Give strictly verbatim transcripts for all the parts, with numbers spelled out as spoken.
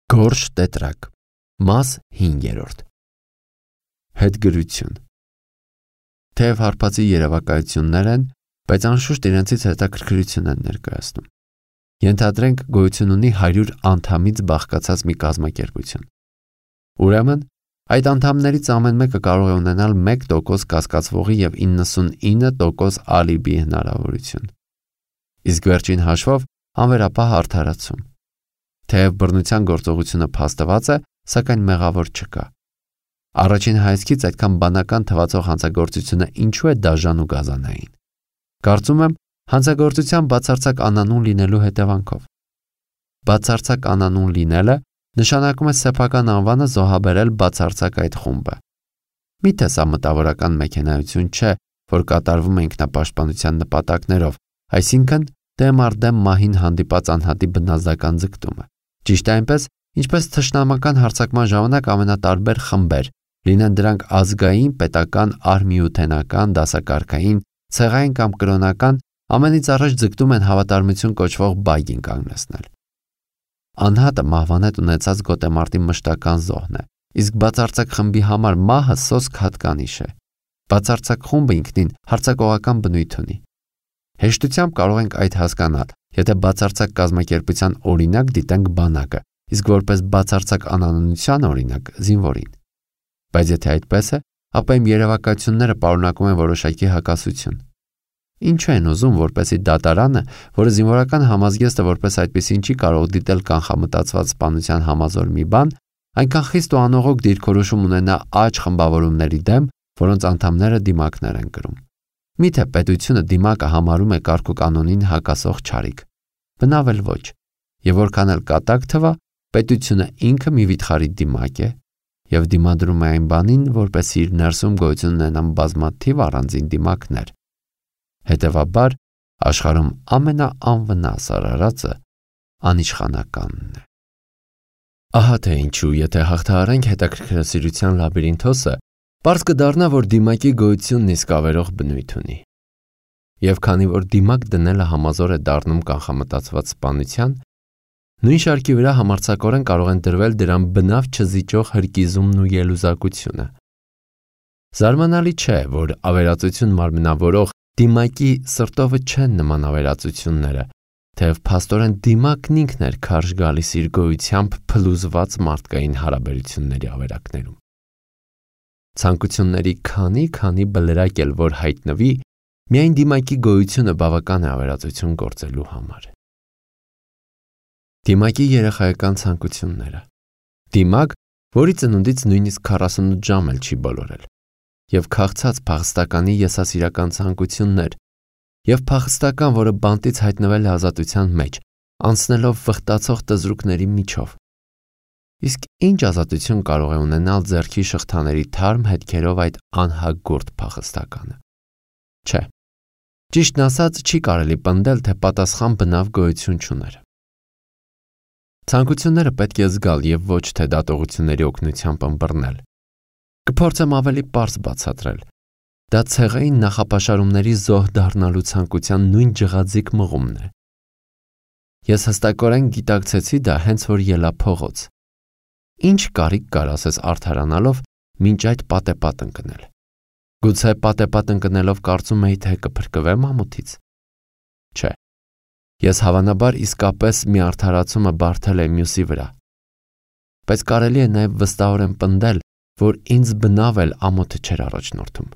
Գորշ տետրակ, մաս հինգերորդ։ Հետգրություն։ Թեև հարբածի երևակայություններ են, բայց անշուշտ իրենցից հետաքրքրություն են ներկայացնում։ Ենթադրենք գոյություն ունի հարյուր անդամից բաղկացած մի կազմակերպություն։ Ուրեմն, այդ անդամներից ամեն մեկը կարող է ունենալ մեկ տոկոս կասկածվողի և իննսունինը տոկոս ալիբի հնարավորություն։ Իսկ վերջին հաշվով անվերապահ արդարացում։ Թեև բռնության գործողությունը փաստված է, սակայն մեղավոր չկա։ Առաջին հայացքից այդքան բանական թվացող հանցագործությունը ինչու է դաժան ու գազանային։ Կարծում եմ, հանցագործության բացարձակ անանուն լինելու հետևանքով։ Բացարձակ անանուն լինելը նշանակում է սեփական անվանը զոհաբերել բացարձակ այդ խումբը։ Միթե սա մտավորական մեքենայություն չէ, որ կատարվում է ինքնապաշտպանության նպատակներով, այսինքն դեմ առ դեմ մահին հանդիպած անհատի բնազդական ձգտումը։ Ճիշտ է այնպես, ինչպես թշնամական հարձակման ժամանակ ամենատարբեր խմբեր, լինեն դրանք ազգային, պետական, արմիութենական, դասակարգային, ցեղային կամ կրոնական, ամենից առաջ ձգտում են հավատարմություն կոչվող բայգին կանգնեցնել։ Անհատը մահվանետ ունեցած գոտեմարտի մշտական զոհն է, իսկ բացարձակ խմբի համար մահը սոսկ հատկանիշ է։ Բացարձակ խումբը ինքնին հարձակողական բնույթ ունի։ Հեշտությամբ կարող ենք այդ հասկանալ, եթե բացարձակ կազմակերպության օրինակ դիտենք բանակը, իսկ որպես բացարձակ անանունության օրինակ զինվորին։ Բայց եթե այդպես է, ապա իմ երևակայությունները պարունակում են որոշակի հակասություն։ Ինչու են ուզում, որպեսզի դատարանը, որը զինվորական համազգեստը որպես այդպեսին չի կարող դիտել կանխամտածված սպանության համազոր մի բան, այնքան խիստ ու անողոք դիրքորոշում ունենա աջ խմբավորումների դեմ, որոնց անդամները դիմակներ են կրում։ Միթե պետությունը դիմակը համարում է կարգուկանոնին հակասող չարիք։ Բնավ էլ ոչ, եւ որքան էլ կատակ թվա, պետությունը ինքը մի վիթխարի դիմակ է եւ դիմադրում է այն բանին, որպեսզի իր ներսում գոյություն ունենան բազմաթիվ առանձին դիմակներ։ Հետևաբար, աշխարհում ամենաանվնաս արարածը անիշխանականն է։ Ահա թե ինչու, եթե հաղթահարենք հետաքրքրասիրության լաբիրինթոսը, պարզ կդառնա, որ դիմակի գոյությունն իսկ ավերող բնույթ ունի։ Եվ քանի որ դիմակ դնելը համազոր է դառնում կանխամտածված սպանության, նույն շարքի վրա համարձակորեն կարող են դրվել դրան բնավ չզիջող հրկիզումն ու ելուզակությունը։ Զարմանալի չէ, որ ավերածություն մարմնավորող դիմակի սրտովը չեն նման ավերածությունները, թեև փաստորեն դիմակն ինքն էր քարշ գալիս իր գոյությամբ փլուզված մարդկային հարաբերությունների ավերակներում։ Ցանկությունների քանի-քանի բլրակ էլ որ հայտնվի, միայն դիմակի գոյությունը բավական է ավերածություն գործելու համար։ Դիմակի երեխայական ցանկությունները։ Դիմակ, որի ծնունդից նույնիսկ քառասունութ ժամ էլ չի բոլորել, եւ քաղցած փախստականի եսասիրական ցանկություններ, եւ փախստական, որը բանտից հայտնվել է ազատության մեջ, անցնելով վխտացող տզրուկների միջով։ Իսկ ինչ ազատություն կարող է ունենալ ձեռքի շղթաների թարմ հետքերով այդ անհագործ փախստականը։ Չէ, ճիշտն ասած չի կարելի պնդել, թե պատասխան բնավ գոյություն չուներ։ Ցանկությունները պետք է զգալ եւ ոչ թե դատողությունների օգնությամբ ըմբռնել։ Կփորձեմ ավելի պարզ բացատրել։ Դա ցեղային նախապաշարումների զոհ դառնալու ցանկության նույն ջղաձիգ մղումն է։ Ես հստակորեն գիտակցեցի դա հենց որ ելա փողոց։ Ինչ կարիք կար ասես արդարանալով մինչ այդ պատեպատ ընկնել։ Գուցե պատեպատ ընկնելով կարծում էի, թե կփրկվեմ ամոթից։ Չէ։ Ես հավանաբար իսկապես մի արդարացումը բարթել եմ մյուսի վրա։ Բայց կարելի է նաև վստահորեն պնդել, որ ինձ բնավ էլ ամոթը չէր առաջնորդում։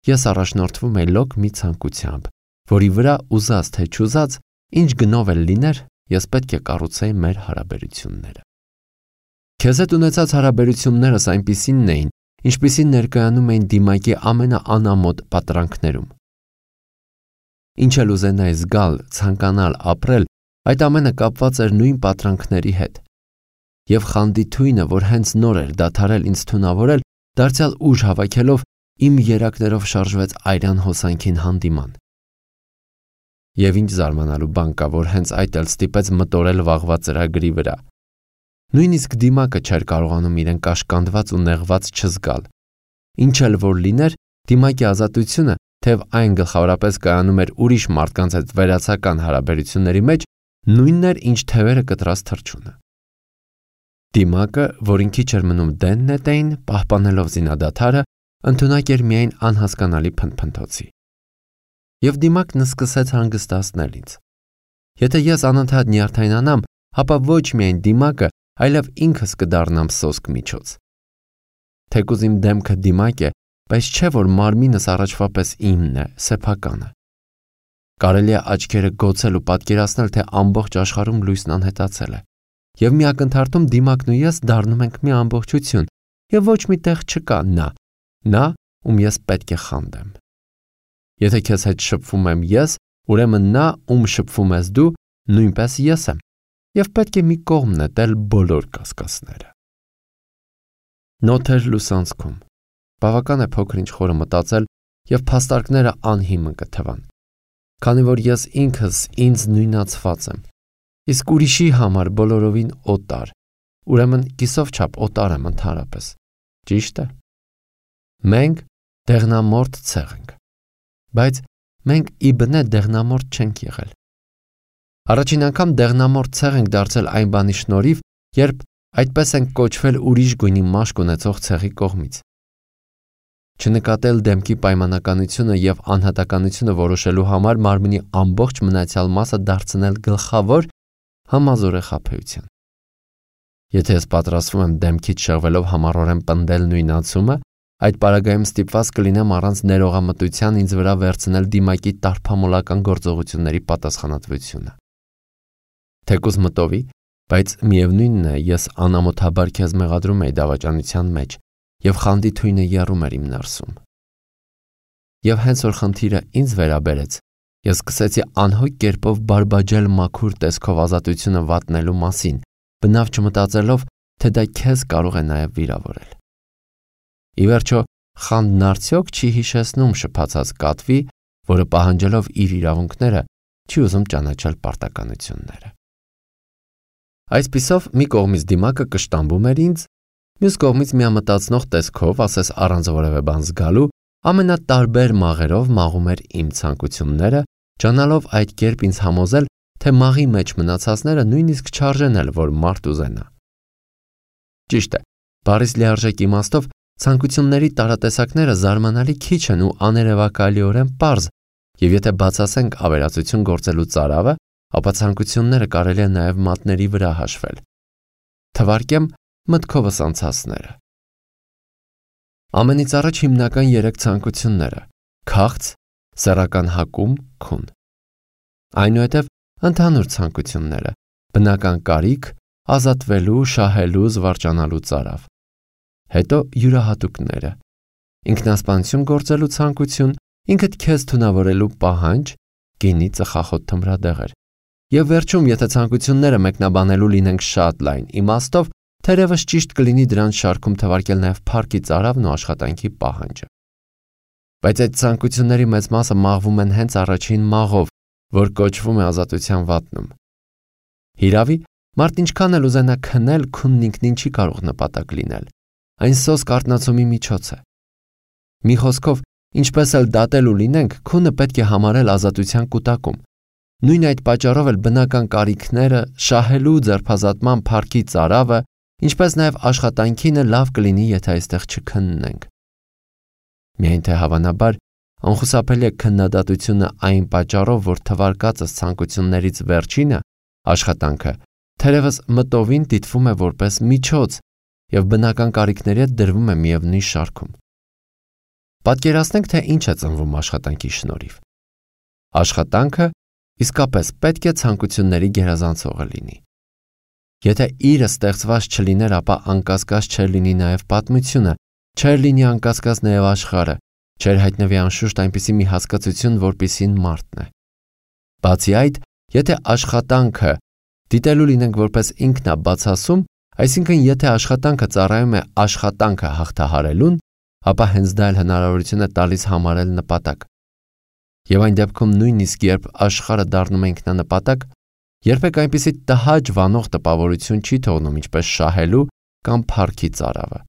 Ես առաջնորդվում էի լոկ մի ցանկությամբ, որի վրա ուզած թե չուզած, ինչ գնով էլ լիներ, ես պետք է կառուցեի մեր հարաբերությունները։ Քեզ հետ ունեցած հարաբերություններս այնպիսինն էին, ինչպիսին ներկայանում էին դիմակի ամենաանամոտ պատրանքներում։ Ինչ էլ ուզենայի զգալ, ցանկանալ, ապրել, այդ ամենը կապված էր նույն պատրանքների հետ։ Եվ խանդի թույնը, որ հենց նոր էր դադարել ինձ թունավորել, դարձյալ ուժ հավաքելով իմ երակներով շարժվեց այրան հոսանքին հանդիման։ Եվ ինչ զարմանալու բան կա, որ հենց այդ էլ ստիպեց մտորել վաղվա ծրագրի վրա։ Նույնիսկ դիմակը չէր կարողանում իրեն կաշկանդված ու նեղված չզգալ։ Ինչ էլ որ լիներ, դիմակի ազատությունը, թեև այն գլխավորապես կայանում էր ուրիշ մարդկանց հետ վերացական հարաբերությունների մեջ, նույնն էր, ինչ թևերը կտրած թռչունը։ Դիմակը, որին քիչ էր մնում դեն նետեին, պահպանելով զինադադարը, ընդունակ էր միայն անհասկանալի փնփնթոցի։ Եվ Դիմակն սկսեց հանգստացնել ինձ։ Եթե ես անընդհատ նյարդայնանամ, ապա ոչ միայն Դիմակը, այլև ինքս կդառնամ սոսկ միջոց։ Թեկուզ իմ դեմքը Դիմակ է, բայց չէ որ մարմինս առաջվա պես իմն է, սեփականը։ Կարելի է աչքերը գոցել ու պատկերացնել, թե ամբողջ աշխարհում լույսն անհետացել է, եւ մի ակնթարթում Դիմակն ու ես դառնում ենք մի ամբողջություն, եւ ոչ մի տեղ չկա նա, նա, ում ես պետք է խանդեմ։ Եթե քեզ հետ շփվում եմ ես, ուրեմն նա, ում շփվում ես դու, նույնպես ես եմ, եւ պետք է մի կողմ նետել բոլոր կասկածները։ Նոթեր լուսանցքում։ Բավական է փոքր-ինչ խորը մտածել, եւ փաստարկները անհիմն կթվան, քանի որ ես ինքս ինձ նույնացված եմ, իսկ ուրիշի համար բոլորովին օտար, ուրեմն կիսով չափ օտար եմ ընդհանրապես, ճիշտ է։ Մենք դեղնամորթ ցեղ ենք, բայց մենք ի բնե դեղնամորթ չենք եղել։ Առաջին անգամ դեղնամորթ ցեղ ենք դարձել այն բանի շնորհիվ, երբ այդպես ենք կոչվել ուրիշ գույնի մաշկ ունեցող ցեղի կողմից։ Չնկատել դեմքի պայմանականությունը եւ անհատականությունը որոշելու համար մարմնի ամբողջ մնացյալ մասը դարձնել գլխավոր համազոր է խաբեության։ Եթե ես պատրաստվում եմ դեմքից շեղվելով համառորեն պնդել նույնացումը, այդ պարագայում ստիպված կլինեմ առանց ներողամտության ինձ վրա վերցնել Դիմակի տարփամոլական գործողությունների պատասխանատվությունը։ Թեկուզ մտովի, բայց միևնույնն է, ես անամոթաբար քեզ մեղադրում էի դավաճանության մեջ, եւ խանդի թույնը եռում էր իմ ներսում։ Եվ հենց որ խնդիրը ինձ վերաբերեց, ես սկսեցի անհոգ կերպով բարբաջել մաքուր տեսքով ազատությունը վատնելու մասին, բնավ չմտածելով, թե դա քեզ կարող է նաև վիրավորել։ Ի վերջո, խանդն արդյոք չի հիշեցնում շփացած կատվի, որը պահանջելով իր իրավունքները, չի ուզում ճանաչել պարտականությունները։ Այսպիսով մի կողմից Դիմակը կշտամբում էր ինձ, մյուս կողմից միամտածնող տեսքով, ասես առանց որևէ բան զգալու, ամենատարբեր մաղերով մաղում էր իմ ցանկությունները, ճանալով այդ կերպ ինձ համոզել, թե մաղի մեջ մնացածները նույնիսկ չարժեն էլ, որ մարդ ուզենա։ Ճիշտ է, բառից լիարժեք իմաստով ցանկությունների տարատեսակները զարմանալի քիչ են ու աներևակայելիորեն պարզ, եւ եթե բացասենք ավերածություն գործելու ծարավը, ապա ցանկությունները կարելի է նաև մատների վրա հաշվել։ Թվարկեմ մտքովս անցածները։ Ամենից առաջ հիմնական երեք ցանկությունները՝ քաղց, սեռական հակում, քուն։ Այնուհետև ընդհանուր ցանկությունները՝ բնական կարիք, ազատվելու, շահելու, զվարճանալու ծարավ։ Հետո յուրահատուկները՝ ինքնասպանություն գործելու ցանկություն, ինքդ քեզ թունավորելու պահանջ, գինի, ծխախոտ, թմրադեղեր։ Եվ վերջում, եթե ցանկությունները մեկնաբանելու լինենք շատ լայն իմաստով, թերևս ճիշտ կլինի դրանց շարքում թվարկել նաև փառքի ծարավն ու աշխատանքի պահանջը։ Բայց այդ ցանկությունների մեծ մասը մաղվում են հենց առաջին մաղով, որ կոչվում է ազատության վատնում։ Հիրավի, մարդ ինչքան էլ ուզենա քնել, քունն ինքնին չի կարող նպատակ լինել։ Այն սոսկ արթնացումի միջոց է։ Մի խոսքով, ինչպես էլ դատել ու լինենք, քունը պետք է համարել ազատության կուտակում։ Նույն այդ պատճառով էլ բնական կարիքները, շահելու ձերբազատման փառքի ծարավը, ինչպես նաև աշխատանքինը լավ կլինի, եթե այստեղ չքննենք։ Միայն թե հավանաբար անխուսափելի է քննադատությունը այն պատճառով, որ թվարկածս ցանկություններից վերջինը, աշխատանքը, թերևս մտովին դիտվում է որպես միջոց եւ բնական կարիքների հետ դրվում է միևնույն շարքում։ Պատկերացնենք, թե ինչ է ծնվում աշխատանքի շնորհիվ։ Աշխատանքը իսկապես պետք է ցանկությունների գերազանցողը լինի։ Եթե իրը ստեղծված չլիներ, ապա անկասկած չէր լինի նաև պատմությունը, չէր լինի անկասկած նաև աշխարհը, չէր հայտնվի անշուշտ այնպիսի մի հասկացություն, որպիսին մարդն է։ Բացի այդ, եթե աշխատանքը դիտելու լինենք որպես ինքնաբացասում, այսինքն եթե աշխատանքը ծառայում է աշխատանքը հաղթահարելուն, ապա հենց դա էլ հնարավորություն է տալիս համարել նպատակ։ Եվ այն դեպքում նույնիսկ երբ աշխարհը դառնում է ինքնանպատակ, երբեք այնպիսի տհաճ վանող տպավորություն չի թողնում, ինչպես շահելու կամ փառքի ծարավը։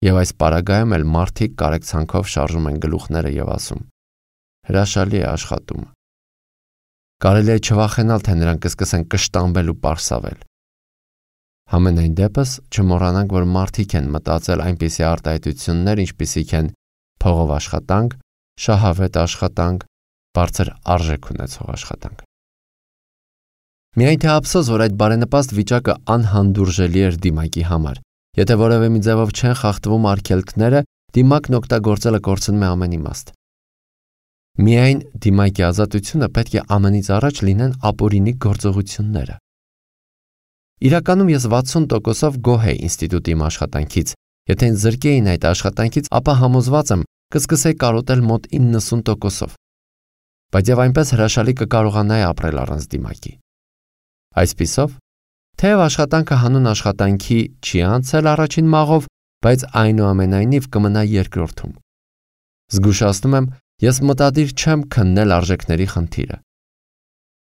Եվ այս պարագայում էլ մարդիկ կարեկցանքով շարժում են գլուխները եւ ասում. հրաշալի է աշխատումը։ Կարելի է չվախենալ, թե նրանք կսկսեն կշտամբել ու պարսավել։ Համենայն դեպս չմոռանանք, որ մարդիկ են մտածել այնպիսի արտահայտություններ, ինչպիսիք են փողով աշխատանք, շահավետ աշխատանք, բարձր արժեք ունեցող աշխատանք։ Միայն թե ափսոս, որ այդ բարենպաստ վիճակը անհանդուրժելի էր դիմակի համար։ Եթե որևէ մի ձևով չեն խախտվում արգելքները, դիմակն օգտագործելը կորցնում է ամեն իմաստ։ Միայն դիմակի ազատությունը պետք է ամենից առաջ լինեն ապօրինի գործողությունները։ Իրականում ես վաթսուն տոկոսով գոհ էի ինստիտուտի իմ աշխատանքից։ Եթե ինձ զրկեին այդ աշխատանքից, ապա համոզված եմ կսկսեի կարոտել մոտ իննսուն տոկոսով։ Բայց եւ այնպես հրաշալի կկարողանայի ապրել առանց դիմակի։ Այսպիսով, թեև աշխատանքը հանուն աշխատանքի չի անցել առաջին մաղով, բայց այնուամենայնիվ կմնա երկրորդում։ Զգուշացնում եմ, ես մտադիր չեմ քննել արժեքների խնդիրը։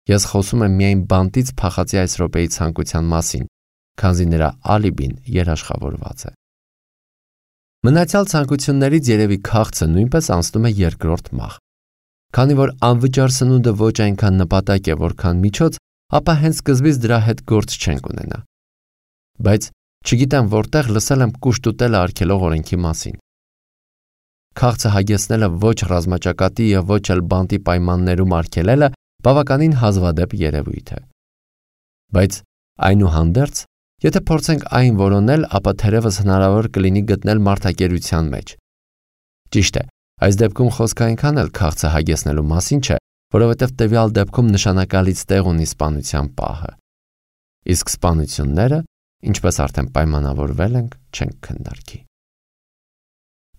Ես խոսում եմ միայն բանտից փախածի այս րոպեի ցանկության մասին, քանզի նրա ալիբին երաշխավորված է։ Մնացյալ ցանկություններից երևի քաղցը նույնպես անցնում է երկրորդ մաղ։ Քանի որ անվճար սնունդը ոչ այնքան նպատակ է, որքան միջոց, ապա հենց սկզբից դրա հետ գործ չենք ունենա։ Բայց չգիտեմ որտեղ լսել եմ կուշտ ուտելը արգելող օրենքի մասին։ Քաղցը հագեցնելը ոչ ռազմաճակատի եւ ոչ էլ բանտի պայմաններում արգելելը բավականին հազվադեպ երևույթ է։ Բայց այնուհանդերձ, եթե փորձենք այն որոնել, ապա թերևս հնարավոր կլինի գտնել մարդակերության մեջ։ Ճիշտ է, այս դեպքում խոսքը այնքան էլ քաղցը հագեցնելու մասին չէ, որովհետև տվյալ դեպքում նշանակալից տեղ ունի սպանության պահը։ Իսկ սպանությունները, ինչպես արդեն պայմանավորվել ենք, չենք քննարկի։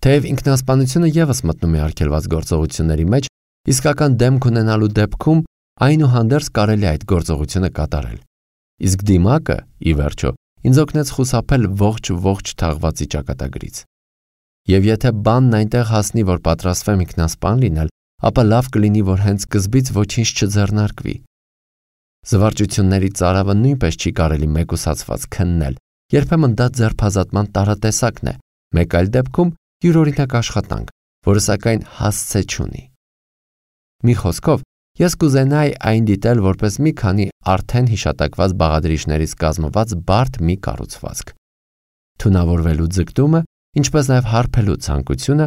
Թեև ինքնասպանությունը ևս մտնում է արգելված գործողությունների մեջ, իսկական դեմք ունենալու դեպքում այնուհանդերձ կարելի է այդ գործողությունը կատարել։ Իսկ դիմակը, ի վերջո, ինձ օգնեց խուսափել ողջ-ողջ թաղվածի ճակատագրից։ Եվ եթե բանն այնտեղ հասնի, որ պատրաստվեմ ինքնասպան լինել, ապա լավ կլինի, որ հենց սկզբից ոչինչ չձեռնարկվի։ Զվարճությունների ծարավը նույնպես չի կարելի մեկուսացված քննել, երբեմն դա ձերբազատման տարատեսակն է, մեկ այլ դեպքում յուրօրինակ աշխատանք, որը սակայն հասցե չունի։ Մի խոսքով, ես կուզենայի այն դիտել որպես մի քանի արդեն հիշատակված բաղադրիչներից կազմված բարդ մի կառուցվածք։ Թունավորվելու ձգտումը, ինչպես նաև հարբելու ցանկությունը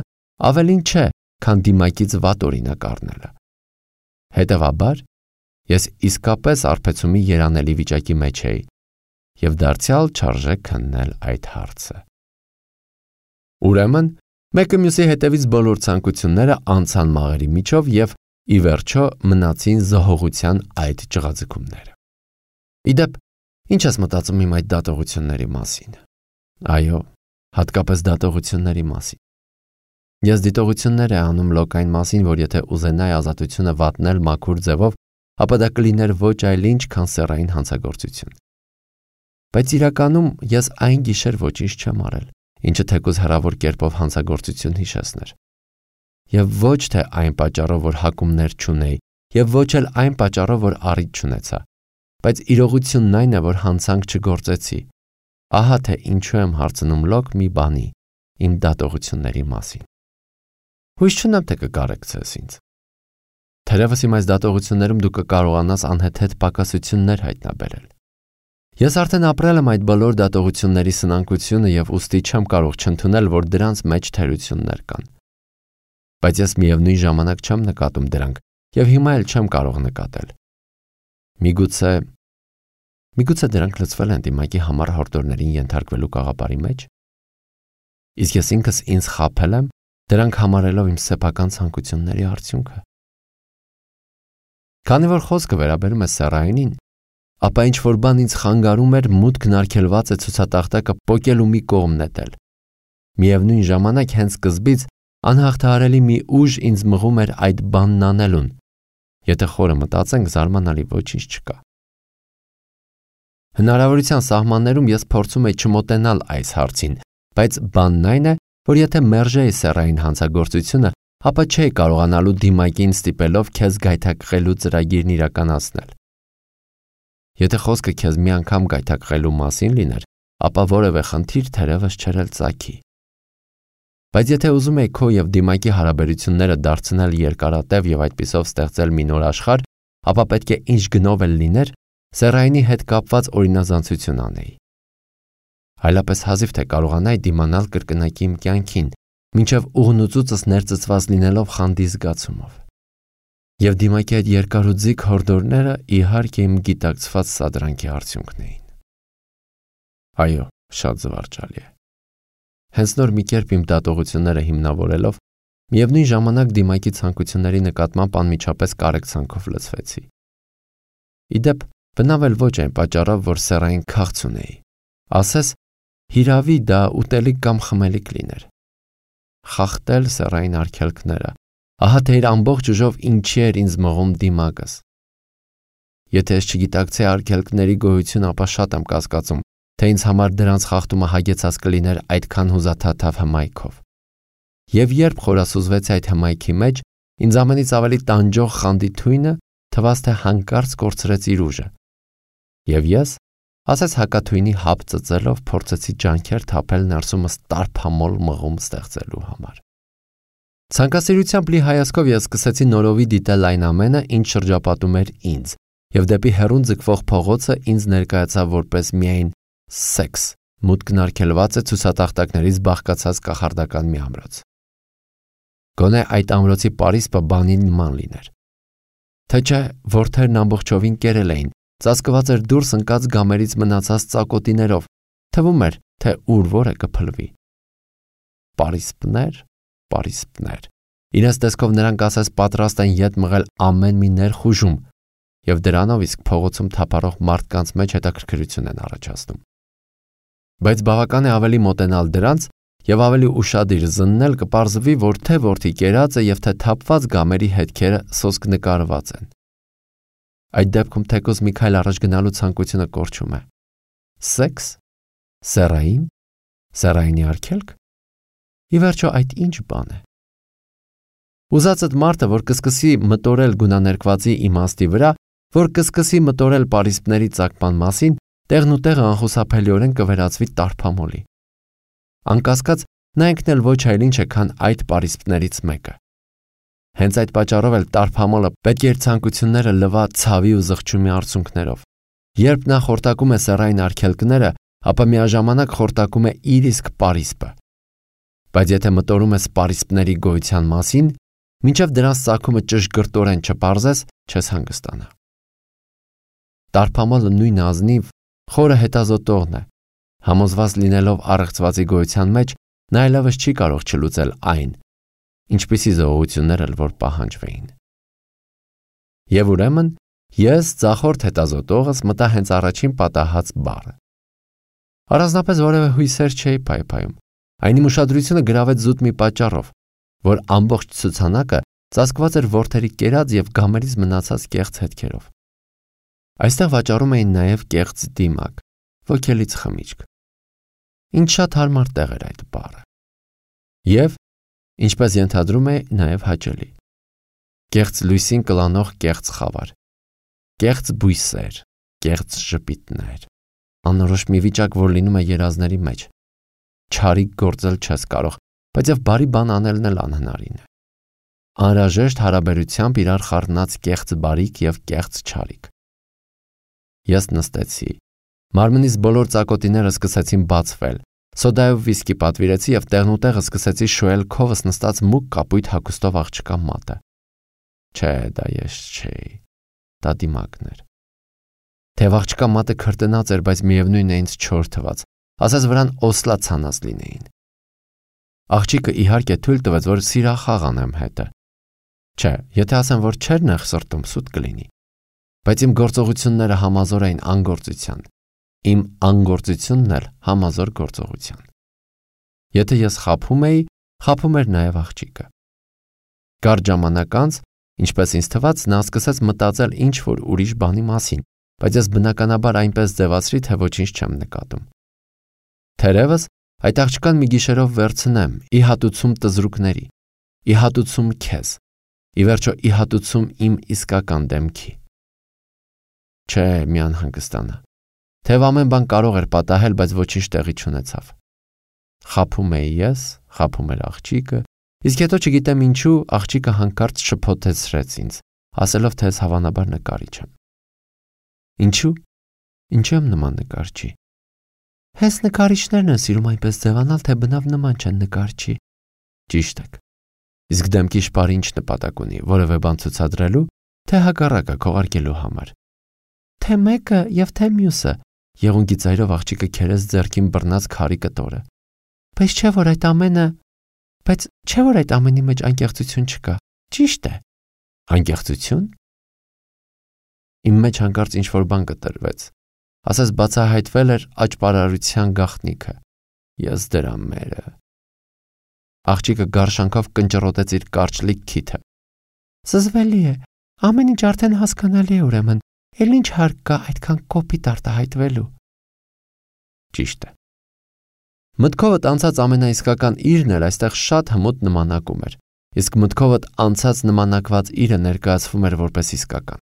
ավելին չէ, քան դիմակից վատ օրինակ առնելը։ Հետևաբար, ես իսկապես արբեցումի երանելի վիճակի մեջ էի և դարձյալ չարժե քննել այդ հարցը։ Ուրեմն, մեկը մյուսի հետևից բոլոր ցանկությունները անցան մաղերի միջով և ի վերջո մնացին զհողության այդ ճղաձգումները։ Իդեպ, ինչ ես մտածում իմ այդ դատողությունների մասին։ Այո, հատկապես դատողությունների մասին։ Ես դիտողություններ է անում լոկային մասին, որ եթե ուզենայի ազատությունը վատնել մաքուր ձևով, ապա դա կլիներ ոչ այլ ինչ, քան սեռային հանցագործություն։ Բայց իրականում ես այն գիշեր ոչինչ չեմ արել, ինչը թեկուզ հեռավոր կերպով հանցագործություն հիշեցներ։ Եվ ոչ թե այն պատճառով, որ հակումներ չունեի, եւ ոչ էլ այն պատճառով, որ առիթ չունեցա, բայց իրողությունն այն է, որ հանցանք չգործեցի։ Ահա թե ինչու եմ հարցնում լոկ մի բանի, իմ դատողությունների մասին։ Հույս չունեմ, թե կկարեկցես ինձ։ Թերևս իմ այս դատողություններում դու կկարողանաս անհեթեթ պակասություններ հայտնաբերել։ Ես արդեն ապրել եմ այդ բոլոր դատողությունների սնանկությունը եւ ուստի չեմ կարող չընդունել, որ դրանց մեջ թերություններ կան։ Բայց ես միևնույն ժամանակ չեմ նկատում դրանք եւ հիմա էլ չեմ կարող նկատել։ Միգուցե միգուցե դրանք լցվել են դիմակի համար հորդորներին ենթարկվելու կաղապարի մեջ։ Իսկ ես ինքս ինձ խաբել եմ, դրանք համարելով իմ սեփական ցանկությունների արդյունքը։ Քանի որ խոսքը վերաբերում է սեռայինին, ապա ինչ որ բան ինձ խանգարում էր մուտքն արգելված է ցուցատախտակը պոկելու մի կողմ նետել։ Միևնույն ժամանակ հենց սկզբից անհաղթահարելի մի ուժ ինձ մղում էր այդ բանն անելուն։ Եթե խորը մտածենք, զարմանալի ոչինչ չկա։ Հնարավորության սահմաններում ես փորձում եի չմոտենալ այս հարցին, բայց բանն այն է, որ եթե մերժեի սեռային հանցագործությունը, ապա չէի կարողանալու դիմակին ստիպելով քեզ գայթակղելու ծրագիրն իրականացնել։ Եթե խոսքը քեզ մի անգամ գայթակղելու մասին լիներ, ապա որևէ խնդիր թերևս չէր էլ ծագի։ Բայց եթե ուզում եի քո եւ դիմակի հարաբերությունները դարձնել երկարատև եւ այդպիսով ստեղծել մի նոր աշխարհ, ապա պետք է ինչ գնով էլ լիներ, սեռայինի հետ կապված օրինազանցություն անեի։ այլապես հազիվ թե կարողանայի դիմանալ կրկնակի իմ կյանքին, մինչև ուղնուծուծս ներծծված լինելով խանդի զգացումով։ Եվ դիմակի այդ երկար ու ձիգ հորդորները իհարկե իմ գիտակցված սադրանքի արդյունքն էին։ Այո, շատ զվարճալի է։ Հենց նոր մի կերպ իմ դատողությունները հիմնավորելով, միևնույն ժամանակ դիմակի ցանկությունների նկատմամբ անմիջապես կարեկցանքով լցվեցի։ Իդեպ, բնավ էլ ոչ այն պատճառով, որ սեռային քաղց ունեի։ Ասես, հիրավի դա ուտելիք կամ խմելիք լիներ։ Խախտել սեռային արգելքները, ահա թե իր ամբողջ ուժով ինչի էր ինձ մղում դիմակս։ Եթե ես չգիտակցեի արգելքների գոյություն, ապա շատ եմ կասկածում, թե ինձ համար դրանց խախտումը հագեցած կլիներ այդքան հուզաթաթավ հմայքով։ Եվ երբ խորասուզվեցի այդ հմայքի մեջ, ինձ ամենից ավելի տանջող խանդի թույնը թվաց, թե հանկարծ կորցրեց իր ուժը։ Եվ ես, ասես հակաթույնի հապ ծծելով, փորձեցի ջանքեր թափել ներսումս տարփամոլ մղում ստեղծելու համար։ Ցանկասիրությամբ լի հայացքով ես սկսեցի նորովի դիտել այն ամենը, ինչ շրջապատում էր ինձ, եւ դեպի հեռուն ձգվող փողոցը ինձ ներկայացավ որպես միայն սեքս, մուտքն արգելված է ցուցատախտակներից բաղկացած կախարդական մի ամրոց։ Գոնե այդ ամրոցի պարիսպը բանի նման լիներ։ Թե չէ, որդերն ամբողջովին կերել էին, ծածկված էր դուրս ընկած գամերից մնացած ծակոտիներով, թվում էր, թե ուր որը կփլվի։ Պարիսպներ, պարիսպներ։ Իրենց տեսքով նրանք ասես պատրաստ են ետ մղել ամեն մի ներխուժում, եւ դրանով իսկ փողոցում թափառող մարդկանց մեջ հետաքրքրություն են առաջացնում։ Բայց բավական է ավելի մոտենալ դրանց եւ ավելի ուշադիր զննել կպարզվի, որ թե որդի կերածը եւ թե թափված գամերի հետքերը սոսկ նկարված են։ Այդ դեպքում թեկուզ մի քայլ առաջ գնալու ցանկությունը կորչում է։ Սեքս, սեռային, սեռայինի արգելք։ Ի վերջո այդ ինչ բան է։ Ուզածդ մարդը, որ կսկսի մտորել գունաներկվածի իմաստի վրա, որ կսկսի մտորել պարիսպների ծակման մասին, տեղն ու տեղը անխուսափելիորեն կվերածվի տարփամոլի։ Անկասկած, նա ինքն էլ ոչ այլ ինչ է, քան այդ պարիսպներից մեկը։ Հենց այդ պատճառով էլ տարփամոլը պետք է իր ցանկությունները լվա ցավի ու զղջումի արցունքներով։ Երբ նա խորտակում է սեռային արգելքները, ապա միաժամանակ խորտակում է իր իսկ պարիսպը։ Բայց եթե մտորում ես պարիսպների գոյության մասին, մինչև դրանց ծագումը ճշգրտորեն չպարզես, չես հանգստանա։ Տարփամոլը նույն ազնիվ, խորը հետազոտողն է, համոզված լինելով առեղծվածի գոյության մեջ, նա այլևս չի կարող չլուծել այն, ինչպիսի զողություններ էլ որ պահանջվեին։ Եվ ուրեմն, ես ձախորդ հետազոտողս մտա հենց առաջին պատահած բառը։ Առանձնապես որևէ հույսեր չէի փայփայում, այն իմ ուշադրությունը գրավեց զուտ մի պատճառով, որ ամբողջ ցուցանակը ծածկված էր որդերի կերած եւ գամերից մնացած կեղծ հետքերով։ Այստեղ վաճառում էին նաև կեղծ դիմակ, ոգելից խմիչք։ Ինչ շատ հարմար տեղ էր այդ բառը։ Եվ, ինչպես ենթադրում է, նաև հաճելի։ Կեղծ լույսին կլանող կեղծ խավար, կեղծ բույսեր, կեղծ ժպիտներ, անորոշ մի վիճակ, որ լինում է երազների մեջ։ Չարիք գործել չես կարող, բայց եւ բարի բան անելն էլ անհնարին է։ Անհրաժեշտ հարաբերությամբ իրար խառնած կեղծ բարիք եւ կեղծ չարիք։ Ես նստեցի։ Մարմնից բոլոր ծակոտիները սկսեցին բացվել։ Սոդայով վիսկի պատվիրեցի եւ տեղնուտեղը սկսեցի շոյել քովս նստած մուգ կապույտ հագուստով աղջկա մատը։ Չէ, դա ես չէի։ Դա դիմակն էր։ Թեև աղջկա մատը քրտնած էր, բայց միևնույն է ինձ չոր թվաց, ասես վրան օսլա ցանած լինեին։ Աղջիկը իհարկե թույլ տվեց, որ սիրախաղ անեմ հետը։ Չէ, եթե ասեմ, որ չեր նեղ սրտում, սուտ կլինի։ Բայց իմ գործողությունները համազոր էին անգործության, իմ անգործությունն էլ համազոր գործողության։ Եթե ես խաբում էի, խաբում էր նաև աղջիկը։ Կարճ ժամանակ անց, ինչպես ինձ թվաց, նա սկսեց մտածել ինչ-որ ուրիշ բանի մասին, բայց ես բնականաբար այնպես ձևացրի, թե ոչինչ չեմ նկատում։ Թերևս այդ աղջկան մի գիշերով վերցնեմ, ի հատուցում տզրուկների, ի հատուցում քեզ, ի վերջո ի հատուցում իմ իսկական դեմքի։ Չէ, մի անհանգստանա։ Թեև ամեն բան կարող էր պատահել, բայց ոչինչ տեղի չունեցավ։ Խաբում էի ես, խաբում էր աղջիկը, իսկ հետո չգիտեմ ինչու աղջիկը հանկարծ շփոթեցրեց ինձ, ասելով, թե ես հավանաբար նկարիչ եմ։ Ինչու՞։ Ինչու եմ նման նկարչի։ Հենց նկարիչներն են սիրում այնպես ձևանալ, թե բնավ նման չեն նկարչի։ Ճիշտ եք։ Իսկ դեմքի շպարը ինչ նպատակ ունի, որևէ բան ցուցադրելու, թե հակառակը քողարկելու համար։ Թե մեկը եւ թե մյուսը, եղունգի ծայրով աղջիկը քերեց ձեռքին բռնած քարի կտորը։ Բայց չէ որ այդ ամենը, բայց չէ որ այդ ամենի մեջ անկեղծություն չկա։ Ճիշտ է։ Անկեղծություն։ Իմ մեջ հանկարծ ինչ-որ բան կտրվեց, ասես բացահայտվել էր աճպարարության գաղտնիքը։ Ես դրա մերը։ Աղջիկը գարշանքով կնճռոտեց իր կարճլիկ քիթը։ Զզվելի է, ամեն ինչ արդեն հասկանալի է ուրեմն, էլ ինչ հարկ կա այդքան կոպիտ արտահայտվելու։ Ճիշտ է։ Մտքովդ անցած ամենաիսկական իրն էլ այստեղ շատ հմուտ նմանակում էր, իսկ մտքովդ անցած նմանակված իրը ներկայացվում էր որպես իսկական։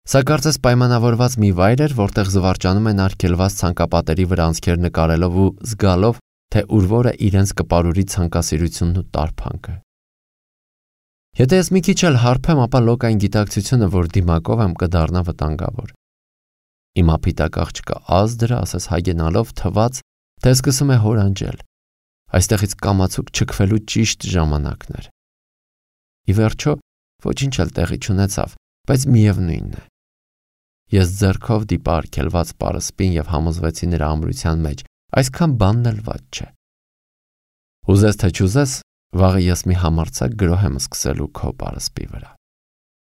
Սա կարծես պայմանավորված մի վայր էր, որտեղ զվարճանում են արգելված ցանկապատերի վրա անցքեր նկարելով ու զգալով, թե ուր որը իրենց կպարուրի ցանկասիրությունն ու տարփանքը։ Եթե ես մի քիչ էլ հարբեմ, ապա լոկային գիտակցությունը, որ դիմակով եմ, կդառնա վտանգավոր։ Իմ ափիտակ աղջկա ազդրը, ասես հագենալով, թված, թե սկսում է հորանջել։ Այստեղից կամացուկ չքվելու ճիշտ ժամանակն էր։ Ի վերջո, ոչինչ էլ տեղի չունեցավ, բայց միևնույնն է։ Ես ձեռքով դիպա արգելված պարսպին եւ համոզվեցի նրա ամրության մեջ, այսքան բանն էլ վատ չէ։ Ուզես թե չուզես, վաղը ես մի համարձակ գրոհ եմ սկսելու քո պարսպի վրա։